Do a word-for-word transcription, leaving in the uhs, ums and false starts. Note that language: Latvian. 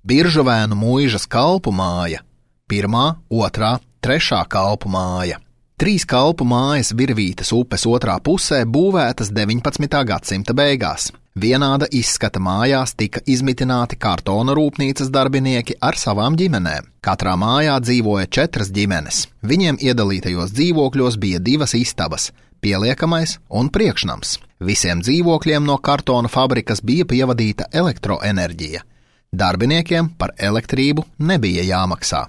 Biržuvēnu Muižas kalpu māja, pirmā, otrā, trešā kalpu māja. Trīs kalpu mājas Virvītes upes otrā pusē būvētas deviņpadsmitā gadsimta beigās. Vienāda izskata mājās tika izmitināti kartona rūpnīcas darbinieki ar savām ģimenēm. Katrā mājā dzīvoja četras ģimenes. Viņiem iedalītajos dzīvokļos bija divas istabas – pieliekamais un priekšnams. Visiem dzīvokļiem no kartona fabrikas bija pievadīta elektroenerģija. Darbiniekiem par elektrību nebija jāmaksā.